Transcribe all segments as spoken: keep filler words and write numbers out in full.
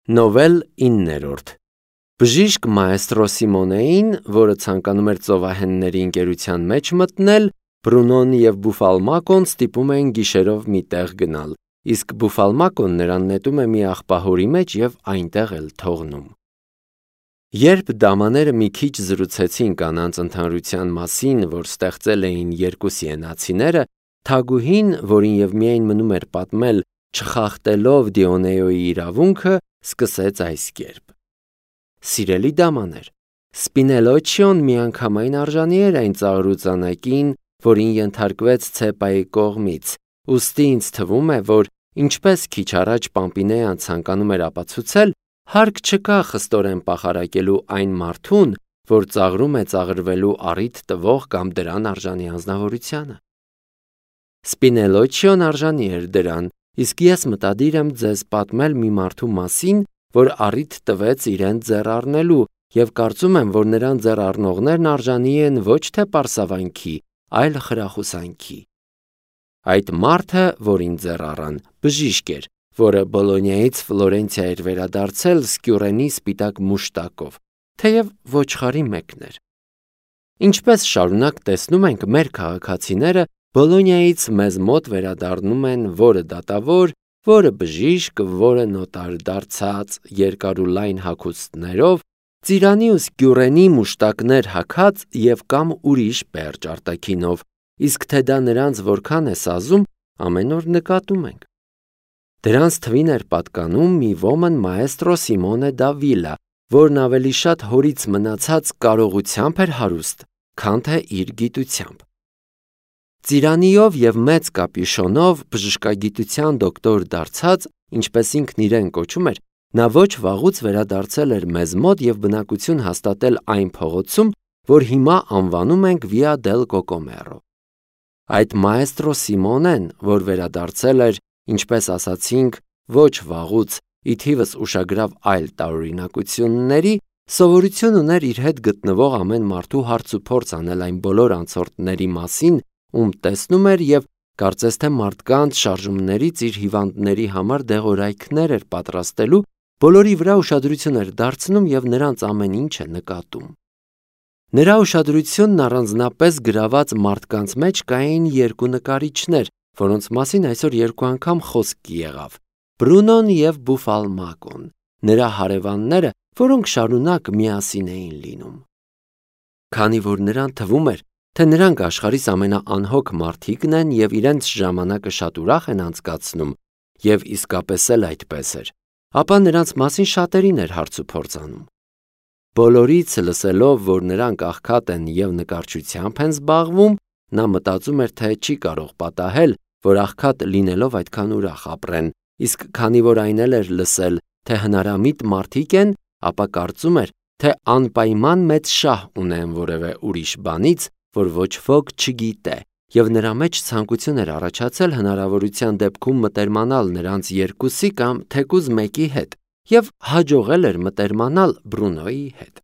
Նովել իններորդ Բժիշկ մայստրո Սիմոնեին, որը ցանկանում էր ծովահենների ընկերության մեջ մտնել, Բրունոն և Բուֆալմակոն ստիպում էին գիշերով մի տեղ գնալ, իսկ Բուֆալմակոն նրան նետում է մի աղբահորի մեջ և այնտեղ էլ թողնում։ Երբ դամաները մի քիչ զրուցեցին կանանց ընդհանրության մասին, որ ստեղծել էին երկու սիենացիները, թագուհին, որին և միայն մնում էր պատմել, չխախտելով Դիոնեոյի իրավունքը, սկսեց այս կերպ. Սիրելի դամաներ, Սպինելոչիոն միանգամայն արժանի էր այն ծաղրուծանակին, որին ենթարկվեց Ցեպայի կողմից, ուստի ինձ թվում է, որ ինչպես քիչ առաջ Պամպինեան ցանկանում էր ապացուցել, հարկ չկա խստորեն պախարակելու այն մարդուն, որ ծաղրում է ծաղրվելու առիթ տվող կամ դրան արժանի անձնավորությանը։ Սպինելոչիոն արժանի էր դրան, իսկ ես մտադիր եմ ձեզ պատմել մի մարդու մասին, որ առիթ տվեց իրեն ձեռ առնելու, և կարծում եմ, որ նրան ձեռ առնողներն արժանի են ոչ թե պարսավանքի, այլ խրախուսանքի։ Այդ մարդը, որին ձեռ առան, բժիշկ էր, որը Բոլոնիայից Ֆլորենցիա էր վերադարձել սկյուռենի սպիտակ մուշտակով, թեև ոչխարի մեկն էր։ Ինչպես շարունակ տեսնում ենք, մեր քաղաքացիները Բոլոնիայից մեզ մոտ վերադառնում են որը դատավոր, որը բժիշկ, որը նոտար դարձած, երկար ու լայն հագուստներով, ծիրանի ու սկյուռենի մուշտակներ հագած և կամ ուրիշ պերճ արտաքինով, իսկ թե դա նրանց որքան է սազում, ամեն օր նկատում ենք։ Դրանց թվին էր պատկանում մի ոմն մայստրո Սիմոնե դա Վիլա, որն ավելի շատ հորից մնացած կարողությամբ էր հարուստ, քան թե իր գիտությամբ։ Ծիրանիով և մեծ կապյուշոնով բժշկագիտության դոկտոր դարձած, ինչպես ինքն իրեն կոչում էր, նա ոչ վաղուց վերադարձել էր մեզ մոտ և բնակություն հաստատել այն փողոցում, որ հիմա անվանում ենք Վիա դել Կոկոմերո։ Այդ մայստրո Սիմոնեն, որ վերադարձել էր, ինչպես ասացինք, ոչ վաղուց, ի թիվս ուշագրավ այլ տարօրինակությունների, սովորություն ուներ իր հետ գտնվող ամեն մարդու հարց ու փորձ անել այն բոլոր անցորդների մասին, ում տեսնում էր և կարծես թե մարդկանց շարժումներից իր հիվանդների համար դեղորայքներ էր պատրաստելու, բոլորի վրա ուշադրություն էր դարձնում և նրանց ամեն ինչ է նկատում։ Նրա ուշադրությունն առանձնապես գրաված մարդկանց մեջ կային երկու նկարիչներ, որոնց մասին այսօր երկու անգամ խոսք եղավ. Բրունոն և Բուֆալմակոն, նրա հարևանները, որոնք շարունակ միասին էին լինում։ Քանի որ նրան թվում էր, թե նրանք աշխարհիս ամենաանհոգ մարդիկն են և իրենց ժամանակը շատ ուրախ են անցկացնում, և իսկապես էլ այդպես էր, ապա նրանց մասին շատերին էր հարց ու փորձ անում։ Բոլորից լսելով, որ նրանք աղքատ են և նկարչությամբ են զբաղվում, նա մտածում էր, թե չի կարող պատահել, որ աղքատ լինելով այդքան ուրախ ապրեն, իսկ քանի որ այն էլ էր լսել, թե հնարամիտ մարդիկ են, ապա կարծում էր, թե անպայման մեծ շահ ունեն որևէ ուրիշ բանից, որ ոչ ոք չգիտե, և նրա մեջ ցանկություն էր առաջացել հնարավորության դեպքում մտերմանալ նրանց երկուսի կամ թեկուզ մեկի հետ, և հաջողել էր մտերմանալ Բրունոյի հետ։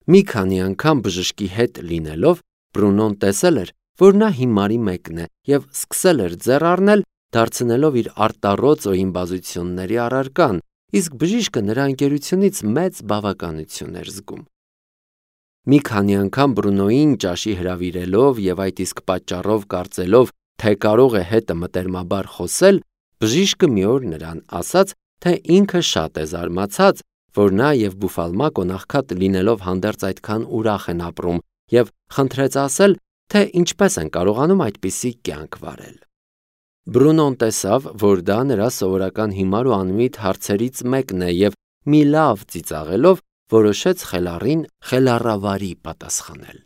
Մի քանի անգամ բժշկի հետ լինելով, Բրունոն տեսել էր, որ նա հիմարի մեկն է և սկսել էր ձեռ առնել, դարձնելով իր արտառոց օհիմբազությունների առարկան, իսկ բժիշկը նրա ընկերությունից մեծ բավականություն էր զգում։ Մի քանի անգամ Բրունոյին ճաշի հրավիրելով և այդ իսկ պատճառով կարծելով, թե կարող է հետը մտերմաբար խոսել, բժիշկը մի օր նրան ասաց, թե ինքը շատ է զարմացած, որ նա և Բուֆալմակոն աղքատ լինելով հանդերձ այդքան ուրախ են ապրում, և խնդրեց ասել, թե ինչպես են կարողանում այդպիսի կյանք վարել։ Բրունոն տեսավ, որ դա նրա սովորական հիմար ու անմիտ հարցերից մեկն է և մի լավ ծիծաղելով որոշեց խելառին խելառավարի պատասխանել։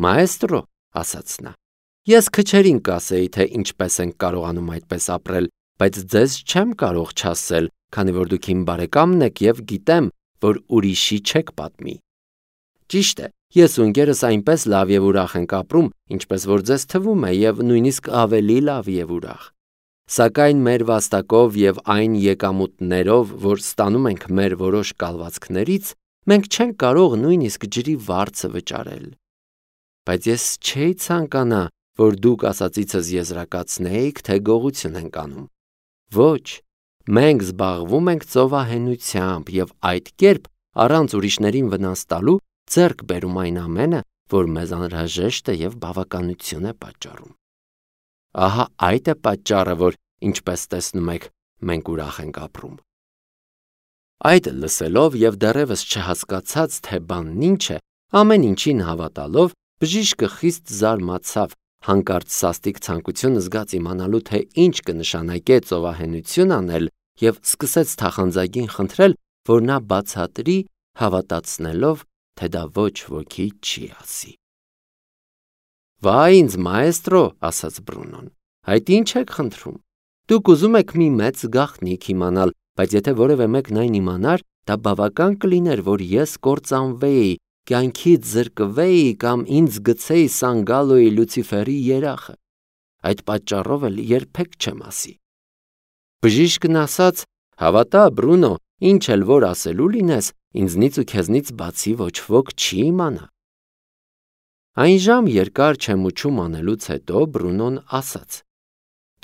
Մայստրո, ասաց նա, ես քչերին կասեի, թե ինչպես ենք կարողանում այդպես ապրել, բայց ձեզ չեմ կարող չասել, քանի որ դուք իմ բարեկամն եք և գիտեմ, որ ուրիշի չեք պատմի։ Ճիշտ է, ես ու ընկերս այնպես լավ և ուրախ ենք ապրում, ինչպես որ ձեզ թվում է, և նույնիսկ ավելի լավ և ուրախ։ Սակայն մեր վաստակով և այն եկամուտներով, որ ստանում ենք մեր որոշ կալվածքներից, մենք չենք կարող նույնիսկ ջրի վարձը վճարել։ Բայց ես չէի ցանկանա, որ դուք ասածիցս եզրակացնեիք, թե գողություն ենք անում։ Ոչ, Մենք զբաղվում ենք ծովահենությամբ և այդ կերպ առանց ուրիշներին վնաս տալու ձեռք բերում այն ամենը, որ մեզ անհրաժեշտ է և բավականություն է պատճառում։ Ահա այդ է պատճառը, որ, ինչպես տեսնում եք, մենք ուրախ ենք ապրում։ Այդ լսելով և դեռևս չհասկացած, թե բանն ինչ է, ամեն ինչին հավատալով, բժիշկը խիստ զարմացավ, հանկարծ սաստիկ ցանկություն զգաց իմանալու, թե ինչ կնշանակե ծովահենություն անել, և սկսեց թախանձագին խնդրել, որ նա բացատրի, հավատացնելով, թե դա ոչ ոքի չի ասի։ «Վայ ինձ, մաեստրո», ասաց Բրունոն, «այդ ինչ եք խնդրում։ Դուք ուզում եք մի մեծ գաղտնիք իմանալ, բայց եթե որևէ մեկն այն իմանար, դա բավական կլիներ, որ ես կործանվեի, կյանքից զրկվեի կամ ինձ գցեի Սանգալոյի Լուցիֆերի երախը։ Այդ պատճառով էլ երբեք չեմ ասի»։ Բժիշկն ասաց. «Հավատա, Բրունո, ինչ էլ որ ասելու լինես, ինձնից ու քեզնից բացի ոչ ոք չի իմանա»։ Այն ժամ երկար չեմուչում անելուց հետո Բրունոն ասաց.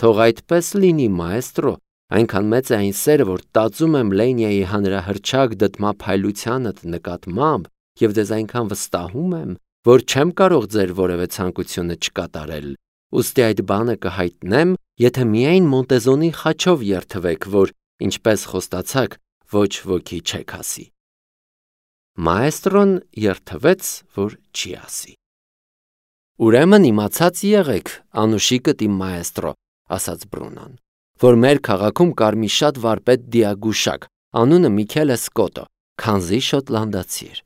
«Թող այդպես լինի, մաեստրո, այնքան մեծ է այն սերը, որ տածում եմ Լենիայի հանրահռչակ դդմափայլությանդ նկատմամբ և ձեզ այնքան վստահում եմ, որ չեմ կարող ձեր որևէ ցանկությունը չկատարել, ուստի այդ բանը կհայտնեմ, եթե միայն Մոնտեզոնի խաչով երդվեք, որ, ինչպես խոստացաք, ոչ ոքի չեք ասի»։ Մաեստրոն երդվեց, որ չի ասի։ «Ուրեմն իմացած եղեք, անուշիկդ իմ մաեստրո», ասաց Բրունոն, «որ մեր քաղաքում կար մի շատ վարպետ դիագուշակ, անունը Միքելե Սկոտո, քանզի շոտլանդացի էր։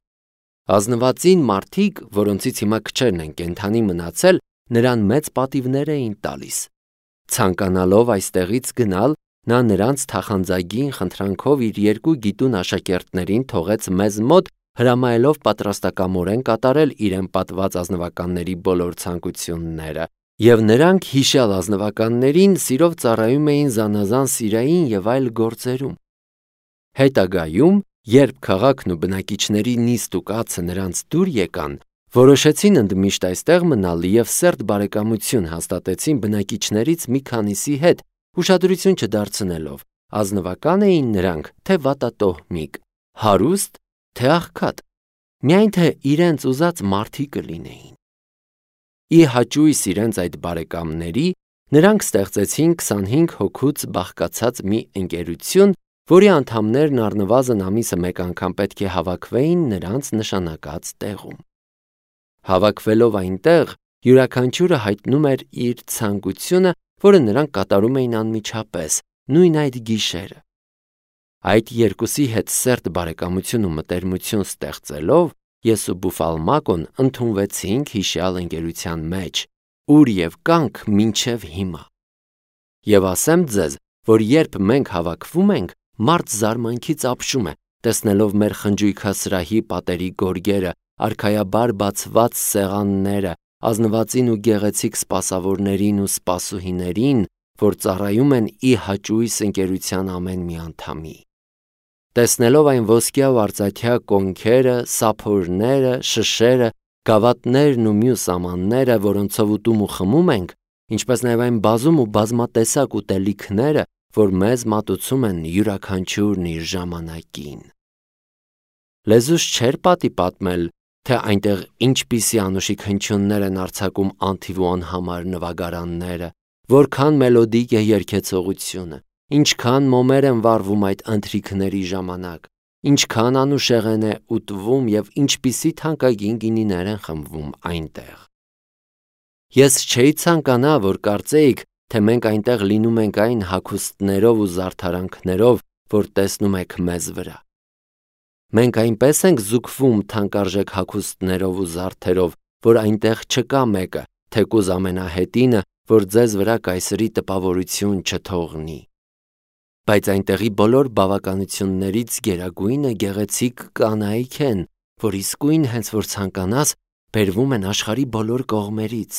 Ազնվածին մարդիկ, որոնցից հիմա քչերն են կենդանի մնացել, նրան մեծ պատիվներ էին տալիս։ Ցանկանալով այստեղից գնալ, նա նրանց թախանձագին խնդրանքով իր երկու գիտուն աշակերտներին թողեց մեզ մոտ, հրամայելով պատրաստակամորեն կատարել իրեն պատված ազնվականների բոլոր ցանկությունները, և նրանք հիշյալ ազնվականներին սիրով ծառայում էին զանազան սիրային և այլ գործերում։ Հետագայում, երբ քաղաքն ու բնակիչների նիստ ու կացը նրանց դուր եկան, որոշեցին ընդմիշտ այստեղ մնալ և սերտ բարեկամություն հաստատեցին բնակիչներից մի քանիսի հետ, ուշադրություն չդարձնելով, ազնվական էին նրանք, թե վատատոհմիկ, հարուստ, թե աղքատ, միայն թե իրենց ուզած մարդիկ կլինեին։ Ի հաճույս իրենց այդ բարեկամների, նրանք ստեղծեցին քսանհինգ հոգուց բաղկացած մի ընկերություն, որի անդամներն առնվազն ամիսը մեկ անգամ պետք է հավաքվեին նրանց նշանակած տեղում։ Հավաքվելով այնտեղ, յուրաքանչյուրը հայտնում էր իր ցանկությունը, որը նրանք կատարում էին անմիջապես, նույն այդ գիշերը։ Այդ երկուսի հետ սերտ բարեկամություն ու մտերմություն ստեղծելով, ես ու Բուֆալմակոն ընդունվեցինք հիշյալ ընկերության մեջ, ուր և կանք մինչև հիմա։ Եվ ասեմ ձեզ, որ երբ մենք հավաքվում ենք, մարդ զարմանքից ապշում է, տեսնելով մեր խնջույքասրահի պատերի գորգերը, արքայաբար բացված սեղանները, ազնվածին ու գեղեցիկ սպասավորներին ու սպասուհիներին, որ ծառայում են ի հաճույս ընկերության ամեն մի անդամի։ Տեսնելով այն ոսկյա ու արծաթյա կոնքերը, սափորները, շշերը, գավաթներն ու մյուս ամանները, որոնցով ուտում ու խմում ենք, ինչպես նաև այն բազում ու բազմատեսակ ուտելիքները, որ մեզ մատուցում են յուրաքանչյուրն իր ժամանակին։ Լեզուս չէր պատի պատմել, թե այնտեղ ինչպիսի անուշիկ հնչյուններ են արձակում անթիվ ու անհամար նվագարանները, որքան մելոդիկ է երգեցողությունը, ինչքան մոմեր են վառվում այդ ընթրիքների ժամանակ, ինչքան անուշեղեն է ուտվում և ինչպիսի թանկագին գինիներ են խմվում այնտեղ։ Ես չէի ցանկանա, որ կարծեիք, թե մենք այնտեղ լինում ենք այն հագուստներով ու զարդարանքներով, որ տեսնում եք մեզ վրա։ Մենք այնպես ենք զուգվում թանկարժեք հագուստներով ու զարդերով, որ այնտեղ չկա մեկը, թեկուզ ամենահետինը, որ ձեզ վրա կայսրի տպավորություն չթողնի։ Բայց այնտեղի բոլոր բավականություններից գերագույնը գեղեցիկ կանայք են, որ իսկույն հենց որ ցանկանաս, բերվում են աշխարհի բոլոր կողմերից։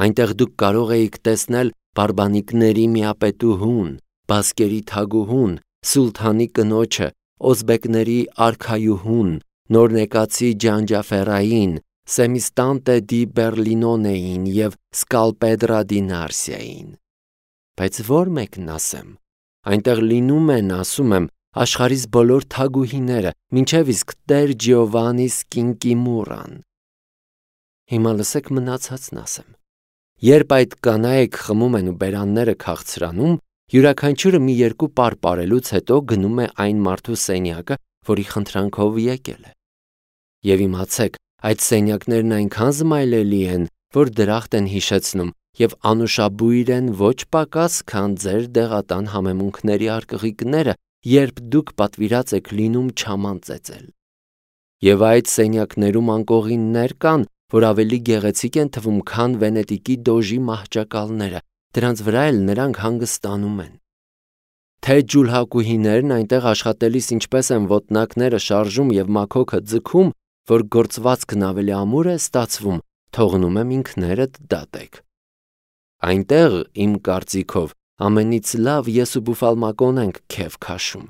Այնտեղ դուք կարող էիք տեսնել բարբանիկների միապետուհուն, բասկերի թագուհուն, սուլթանի կնոջը, օզբեկների արքայուհուն, նորնեկացի Ջանջաֆերային, Սեմիստանտե դի Բերլինոնեին և Սկալպեդրա դի Նարսիային։ Բայց ո՞ր մեկն ասեմ։ Այնտեղ լինում են, ասում եմ, աշխարհիս բոլոր թագուհիները, մինչև իսկ Տեր Ջիովանիս Կինկիմուրան։ Հիմա լսեք մնացածն ասեմ։ Երբ այդ կանայք խմում են ու բերանները քաղցրանում, յուրաքանչյուրը մի երկու պար պարելուց հետո գնում է այն մարդու սենյակը, որի խնդրանքով եկել է։ Եվ իմացեք, այդ սենյակներն այնքան զմայլելի են, որ դրախտ են հիշեցնում և անուշաբույր են ոչ պակաս, քան ձեր դեղատան համեմունքների արկղիկները, երբ դուք պատվիրած եք լինում չաման ծեծել։ Եվ այդ սենյակներում անկողիններ կան, որ ավելի գեղեցիկ են թվում, քան Վենետիկի դոժի մահճակալները, դրանց վրա էլ նրանք հանգստանում են։ Թե ջուլհակուհիներն այնտեղ աշխատելիս ինչպես են ոտնակները շարժում և մաքոքը ձգում, որ գործվածքն ավելի ամուր է ստացվում, թողնում եմ ինքներդ դատեք։ Այնտեղ, իմ կարծիքով, ամենից լավ ես ու Բուֆալմակոն ենք քեֆ քաշում,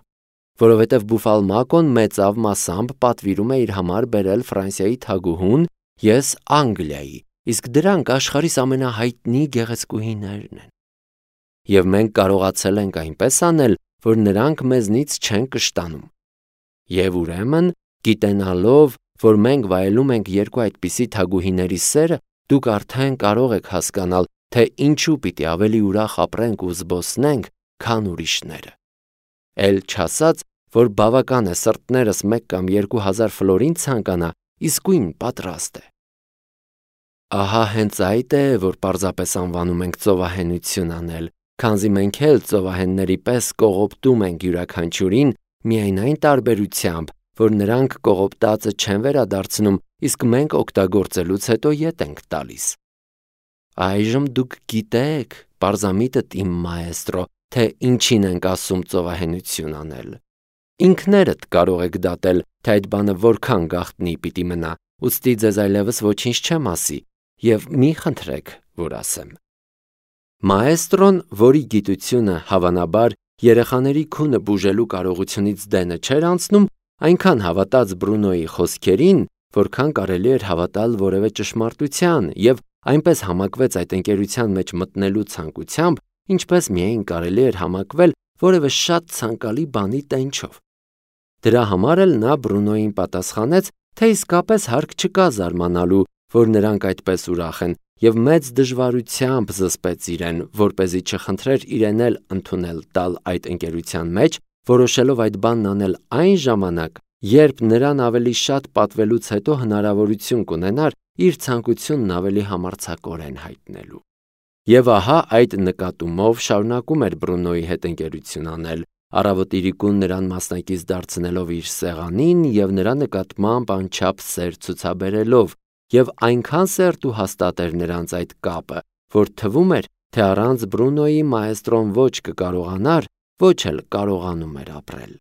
որովհետև Բուֆալմակոն մեծավ մասամբ պատվիրում է իր համար բերել Ֆրանսիայի թագուհուն, ես Անգլիայի, իսկ դրանք աշխարհիս ամենահայտնի գեղեցկուհիներն են։ Եվ մենք կարողացել ենք այնպես անել, որ նրանք մեզնից չեն կշտանում։ Եվ ուրեմն, գիտենալով, որ մենք վայելում ենք երկու այդպիսի թագուհիների սերը, դուք արդեն կարող եք հասկանալ, թե ինչու պիտի ավելի ուրախ ապրենք ու զբոսնենք, քան ուրիշները։ Էլ չասած, որ բավական է սրտներս մեկ կամ երկու հազար ֆլորին ցանկանա, իսկույն պատրաստ է։ Ահա հենց այդ է, որ պարզապես անվանում ենք ծովահենություն անել, քանզի մենք էլ ծովահենների պես կողոպտում ենք յուրաքանչյուրին, միայն այն տարբերությամբ, որ նրանք կողոպտածը չեն վերադարձնում, իսկ մենք օգտագործելուց հետո ետ ենք տալիս։ Այժմ դուք գիտեք, պարզամիտդ իմ մաեստրո, թե ինչին ենք ասում ծովահենություն անել։ Ինքներդ կարող եք դատել, թե այդ բանը որքան գաղտնի պիտի մնա, ուստի ձեզ այլևս ոչինչ չեմ ասի, և մի խնդրեք, որ ասեմ։ Մաեստրոն, որի գիտությունը հավանաբար երեխաների քունը բուժելու կարողությունից դենը չէր անցնում, այնքան հավատաց Բրունոյի խոսքերին, որքան կարելի էր հավատալ որևէ ճշմարտության, և այնպես համակվեց այդ ընկերության մեջ մտնելու ցանկությամբ, ինչպես միայն կարելի էր համակվել որևէ շատ ցանկալի բանի տենչով։ Դրա համար էլ նա Բրունոյին պատասխանեց, թե իսկապես հարկ չկա զարմանալու, որ նրանք այդպես ուրախ են, և մեծ դժվարությամբ զսպեց իրեն, որպեսզի չխնդրեր իրեն էլ ընդունել տալ այդ ընկերության մեջ, որոշելով այդ բանն անել այն ժամանակ, երբ նրան ավելի շատ պատվելուց հետո հնարավորություն կունենար իր ցանկությունն ավելի համարձակորեն հայտնելու։ Եվ ահա այդ նկատումով շարունակում էր Բրունոյի հետ ընկերություն անել, առավոտ իրիկուն նրան մասնակից դարձնելով իր սեղանին և նրա նկատմամբ անչափ սեր ցուցաբերելով, և այնքան սերտ ու հաստատ էր նրանց այդ կապը, որ թվում էր, թե առանց Բրունոյի մաեստրոն ոչ կկարողանար, ոչ էլ կարողանում էր ապրել։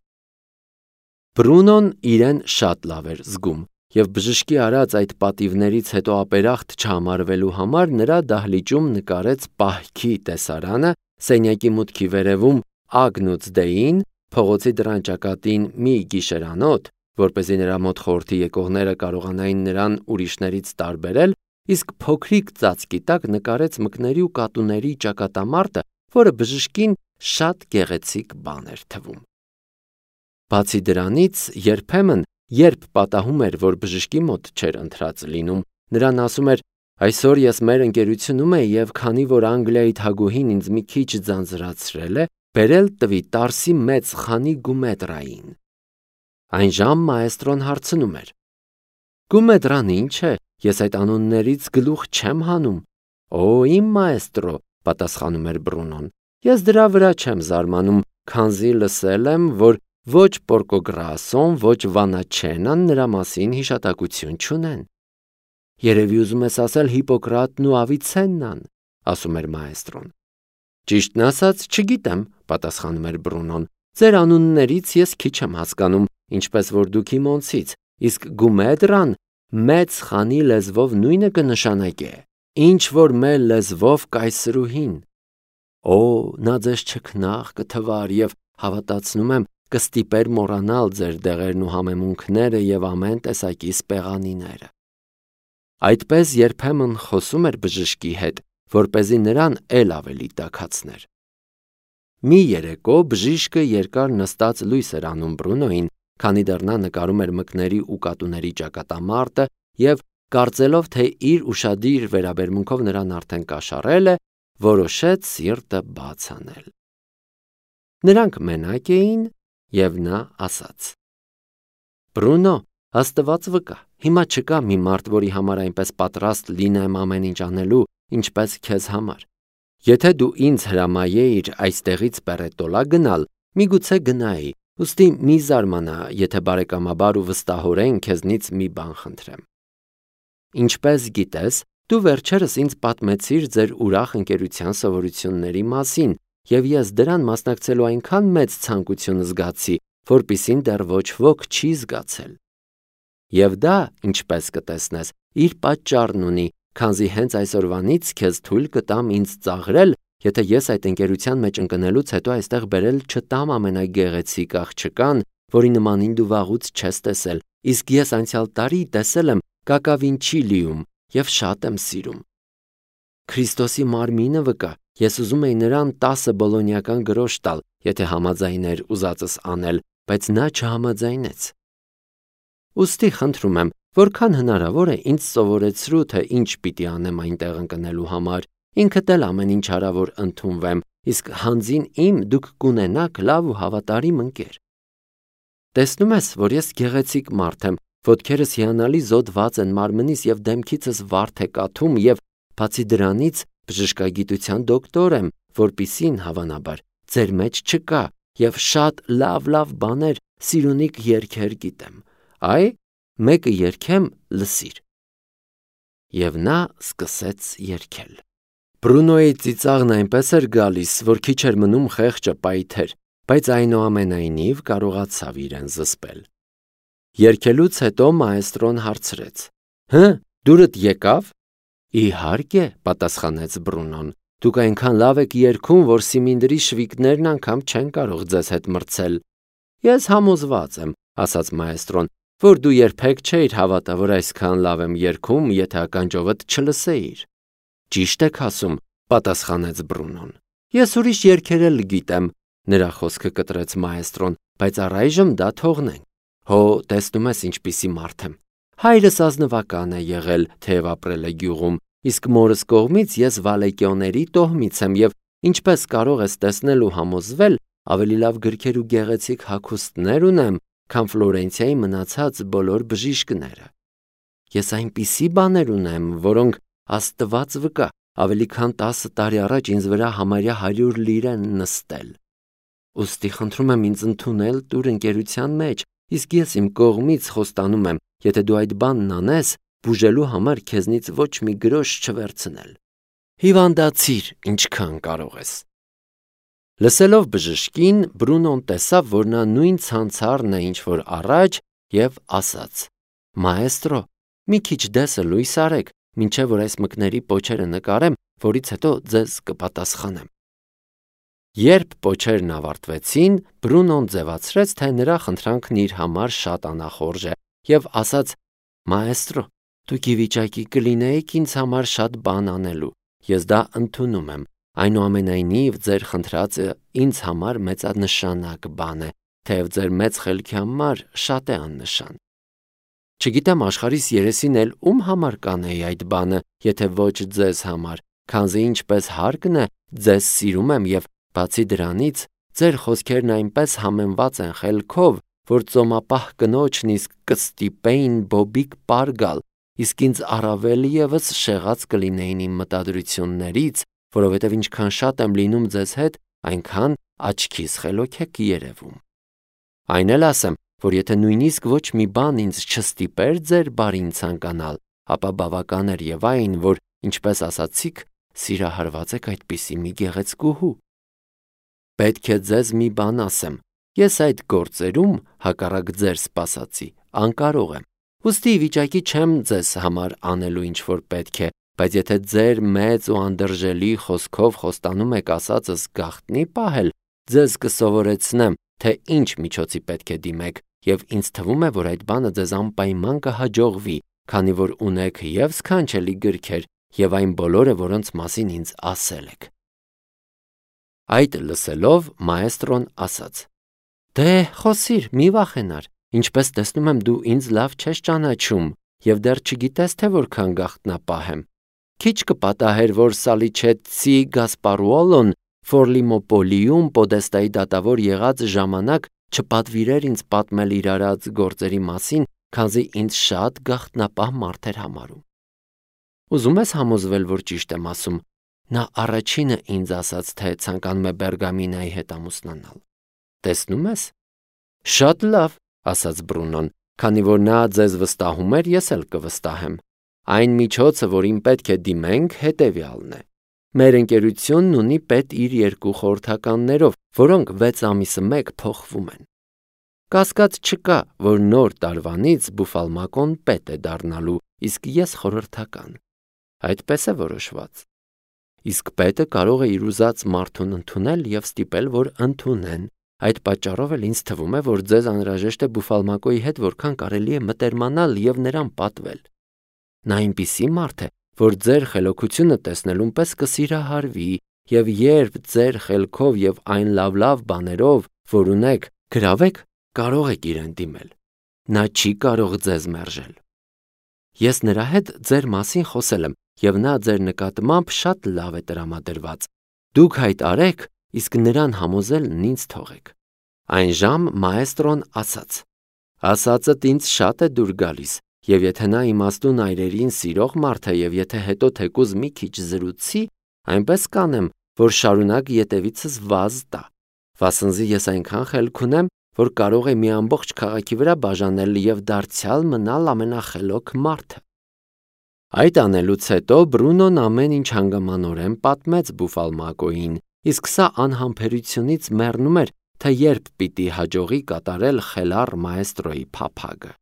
Բրունոն իրեն շատ լավ էր զգում, և բժշկի արած այդ պատիվներից հետո ապերախտ չհամարվելու համար նրա դահլիճում նկարեց պահքի տեսարանը, սենյակի մուտքի վերևում Ագնուց Դեին, փողոցի դռան ճակատին մի գիշերանոթ, որպեսզի նրա մոտ խորհրդի եկողները կարողանային նրան ուրիշներից տարբերել, իսկ փոքրիկ ծածկի տակ նկարեց մկների ու կատուների ճակատամարտը, որը բժշկին շատ գեղեցիկ բան էր թվում։ Բացի դրանից, երբեմն, երբ պատահում էր, որ բժշկի մոտ չէր ընթրած լինում, նրան ասում էր. «Այսօր ես մեր ընկերությունում եմ և քանի որ Անգլիայի թագուհին ինձ մի քիչ ձանձրացրել է, բերել տվի Տարսի մեծ խանի Գումետրային»։ Այնժամ մաեստրոն հարցնում էր. «Գումետրան ի՞նչ է, ես այդ անուններից գլուխ չեմ հանում»։ «Օ, իմ մաեստրո», պատասխանում էր Բրունոն, «ես դրա վրա չեմ զարմանում, քանզի լսել եմ, որ ոչ Պորկոգրասոն, ոչ Վանաչենան նրա մասին հիշատակություն չունեն»։ «Երևի ուզում ես ասել Հիպոկրատն ու Ավիցեննան», ասում էր մաեստրոն։ «Ճիշտն ասած, չգիտեմ», պատասխանում էր Բրունոն, «ձեր անուններից ես քիչ եմ հասկանում, ինչպես որ դուք իմոնցից, իսկ Գումեդրան մեծ խանի լեզվով նույնը կնշանակե, ինչ որ մեր լեզվով կայսրուհին»։ «Օ, նա ձեզ չքնաղ կթվար և, հավատացնում եմ, կստիպեր մոռանալ ձեր դեղերն ու համեմունքները և ամեն տեսակի սպեղանիները»։ Այդպես երբեմն խոսում էր բժշկի հետ, որպեսզի նրան էլ ավելի տաքացներ։ Մի երեկո բժիշկը երկար նստած լույս էր անում Բրունոյին, քանի դեռ նա նկարում էր մկների ու կատուների ճակատամարտը և կարծելով, թե իր ուշադիր վերաբերմունքով նրան արդեն կաշառել է, որոշեց սիրտը բաց անել։ Նրանք մենակ էին, և նա ասաց. Բրունո, Աստված վկա, հիմա չկա մի մարդ, որի համար այնպես պատրաստ լինեմ ամեն ինչ անելու, ինչպես քեզ համար։ Եթե դու ինձ հրամայեիր այստեղից Պեռետոլա գնալ, միգուցե գնայի, ուստի մի զարմանա, եթե բարեկամաբար ու վստահորեն քեզնից մի բան խնդրեմ։ Ինչպես գիտես, դու վերջերս ինձ պատմեցիր ձեր ուրախ ընկերության սովորությունների մասին, և ես դրան մասնակցելու այնքան մեծ ցանկություն զգացի, որպիսին դեռ ոչ ոք չի զգացել։ Եվ դա, ինչպես կտեսնես, իր պատճառն ունի, քանզի հենց այսօրվանից քեզ թույլ կտամ ինձ ծաղրել, եթե ես այդ ընկերության մեջ ընկնելուց հետո այստեղ բերել չտամ ամենագեղեցիկ աղջկան, որի նմանին դու վաղուց չես տեսել, իսկ ես անցյալ տարի տեսել եմ Կակավինչիլիում և շատ եմ սիրում։ Քրիստոսի մարմինը վկա, ես ուզում էի նրան տասը բոլոնիական գրոշ տալ, եթե համաձայներ ուզածս անել, բայց նա չհամաձայնեց։ Ուստի խնդրում եմ, որքան հնարավոր է ինձ սովորեցրու, թե ինչ պիտի անեմ այնտեղ ընկնելու համար, ինքդ էլ ամեն ինչ արա, որ ընդունվեմ, իսկ հանձին իմ դուք կունենաք լավ ու հավատարիմ ընկեր։ Տեսնում ես, որ ես գեղեցիկ մարդ եմ, ոտքերս հիանալի զոդված են մարմնիս և դեմքիցս վարդ է կաթում և բացի դրանից բժշկագիտության դոկտոր եմ, որպիսին հավանաբար ձեր մեջ չկա և շատ լավ-լավ բաներ, սիրունիկ երգեր գիտեմ։ Այ, մեկը երգեմ, լսիր։ Եվ նա սկսեց երգել։ Բրունոյի ծիծաղն այնպես էր գալիս, որ քիչ էր մնում խեղճը պայթեր, բայց այնուամենայնիվ կարողացավ իրեն զսպել։ Երգելուց հետո մաեստրոն հարցրեց. Հը, դուրդ եկավ։ Իհարկե, պատասխանեց Բրունոն, դուք այնքան լավ եք երգում, որ սիմինդրի շվիկներն անգամ չեն կարող ձեզ հետ մրցել։ Ես համոզված եմ, ասաց մաեստրոն, որ դու երբեք չէիր հավատա, որ այսքան լավ եմ երգում, եթե ականջովդ չլսեիր։ Ճիշտ եք ասում, պատասխանեց Բրունոն։ Ես ուրիշ երգեր էլ գիտեմ, նրա խոսքը կտրեց մաեստրոն, բայց առայժմ դա թողնենք։ Հո, տեսնում ես ինչպիսի մարդ եմ։ Հայրս ազնվական է եղել, թեև ապրել է գյուղում, իսկ մորս կողմից ես Վալեկիոների տոհմից եմ և ինչպես կարող ես տեսնել ու համոզվել, ավելի լավ գրքեր ու գեղեցիկ հագուստներ ունեմ, քան Ֆլորենցիայի մնացած բոլոր բժիշկները։ Ես այնպիսի բաներ ունեմ, որոնք Աստված վկա, ավելի քան տասը տարի առաջ ինձ վրա համարյա հարյուր լիր են նստել։ Ուստի խնդրում եմ ինձ ընդունել տուր ընկերության մեջ, իսկ ես իմ կողմից խոստանում եմ, եթե դու այդ բանն անես, բուժելու համար քեզնից ոչ մի գրոշ չվերցնել։ Հիվանդացիր, ինչքան կարող ես։ Լսելով բժշկին, Բրունոն տեսավ, որ նա նույն ցանցառն է, ինչ որ առաջ, և ասաց. Մաեստրո, մի քիչ դեսը լույս արեք, մինչև որ այս մկների պոչերը նկարեմ, որից հետո ձեզ կպատասխանեմ։ Երբ պոչերն ավարտվեցին, Բրունոն ձևացրեց, թե նրա խնդրանքն իր համար շատ անախորժ է, և ասաց. Մաեստրո, դուք ի վիճակի կլինեիք ինձ համար շատ բան անելու, ես դա ընդունում եմ, այնուամենայնիվ ձեր խնդրածը ինձ համար մեծանշանակ բան է, թեև ձեր մեծ խելքի համար շատ է աննշան։ Չգիտեմ աշխարհիս երեսին էլ ում համար կանեի այդ բանը, եթե ոչ ձեզ համար, քանզի ինչպես հարկն է, ձեզ սիրում եմ և բացի դրանից, ձեր խոսքերն այնպես համեմված են խելքով, որ ծոմապահ կնոջն իսկ կստիպեին բոբիկ պար գալ, իսկ ինձ առավել ևս շեղած կլինեին իմ մտադրություններից, որովհետև ինչքան շատ եմ լինում ձեզ հետ, այնքան աչքիս խելոք եք երևում։ Այն էլ ասեմ, որ եթե նույնիսկ ոչ մի բան ինձ չստիպեր ձեր բարին ցանկանալ, ապա բավական էր եւ այն, որ, ինչպես ասացիք, սիրահարված եք այդպիսի մի գեղեցկուհու։ Պետք է ձեզ մի բան ասեմ, ես այդ գործերում, հակառակ ձեր սպասածի, անկարող եմ, ուստի վիճակի չեմ ձեզ համար անելու ինչ որ պետք է, բայց եթե ձեր մեծ ու անդրժելի խոսքով խոստանում եք ասածս գաղտնի պահել, ձեզ կսովորեցնեմ, թե ինչ միջոցի պետք է դիմեք, և ինձ թվում է, որ այդ բանը ձեզ անպայման կհաջողվի, քանի որ ունեք և սքանչելի գրքեր, և այն բոլորը, որոնց մասին ինձ ասել եք։ Այդ լսելով մայստրոն ասաց. «Դե խոսիր, մի վախենար, ինչպես տեսնում եմ դու ինձ լավ չես ճանաչում և դեռ չգիտես, թե որքան գաղտնապահ եմ։ Քիչ կպատահեր, որ Սալիչեցի Գասպարուոլոն Ֆորլիմոպոլիում պոդեստայի դատավոր եղած ժամանակ չպատվիրեր ինձ պատմել իր արած գործերի մասին, քանզի ինձ շատ գաղտնապահ մարդ էր համարում։ Ուզում ես համոզվել, որ ճիշտ եմ ասում։ Նա առաջինը ինձ ասաց, թե ցանկանում է Բերգամինայի հետ ամուսնանալ։ Տեսնում ես։ Շատ լավ, ասաց Բրունոն, քանի որ նա ձեզ վստահում էր, ես էլ կվստահեմ։ Այն միջոցը, որին պետք է դիմենք, հետևյալն է։ Մեր ընկերությունն ունի պետ իր երկու խորհրդականներով, որոնք վեց ամիսը մեկ փոխվում են։ Կասկած չկա, որ նոր տարվանից Բուֆալմակոն պետ է դառնալու, իսկ ես խորհրդական։ Այդպես է որոշված։ Իսկ պետը կարող է իր ուզած մարդուն ընդունել և ստիպել, որ ընդունեն։ Այդ պատճառով էլ ինձ թվում է, որ ձեզ անհրաժեշտ է Բուֆալմակոյի հետ որքան կարելի է մտերմանալ և նրան պատվել։ Նա այնպիսի մարդ է, որ ձեր խելոքությունը տեսնելուն պես կսիրահարվի, և երբ ձեր խելքով և այն լավ-լավ բաներով, որ ունեք, գրավեք, կարող եք իրեն դիմել։ Նա չի կարող ձեզ մերժել։ Ես նրա հետ ձեր մասին խոսել եմ, և նա ձեր նկատմամբ շատ լավ է տրամադրված։ Դուք հայտարարեք, իսկ նրան համոզելն ինձ թողեք։ Այն ժամ մայստրոն ասաց. ասածդ ինձ շատ է դուր գալիս, և եթե նա իմաստուն այրերին սիրող մարդ է, և եթե հետո թեկուզ մի քիչ զրուցի, այնպես կանեմ, որ շարունակ ետևիցս վազ տա, վասնզի ես այնքան խելք ունեմ, որ կարող է մի ամբողջ քաղաքի վրա բաժանել և դարձյալ մնալ ամենախելոք մարդը։ Այդ անելուց հետո Բրունոն ամեն ինչ հանգամանորեն պատմեց Բուֆալմակոյին, իսկ սա անհամբերությունից մեռնում էր, թե երբ պիտի հաջողի կատարել խելառ մայստրոյի փափագը։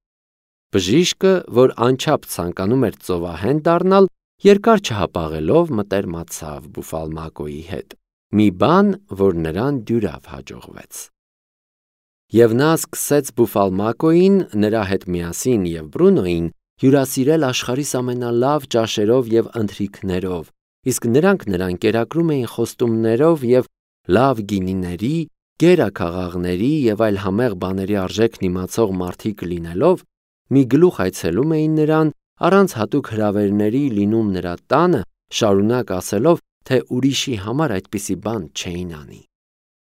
Բժիշկը, որ անչափ ցանկանում էր ծովահեն դառնալ, երկար չհապաղելով մտերմացավ Բուֆալմակոյի հետ, մի բան, որ նրան դյուրավ հաջողվեց։ Եվ նա սկսեց Բուֆալմակոյին, նրա հետ միասին և Բրունոյին հյուրասիրել աշխարհիս ամենալավ ճաշերով և ընթրիքներով, իսկ նրանք նրան կերակրում էին խոստումներով և լավ գինիների, գերաքաղաղների և այլ համեղ բաների արժեքն իմացող մարդիկ լինելով, մի գլուխ այցելում էին նրան, առանց հատուկ հրավերների լինում նրա տանը, շարունակ ասելով, թե ուրիշի համար այդպիսի բան չէին անի։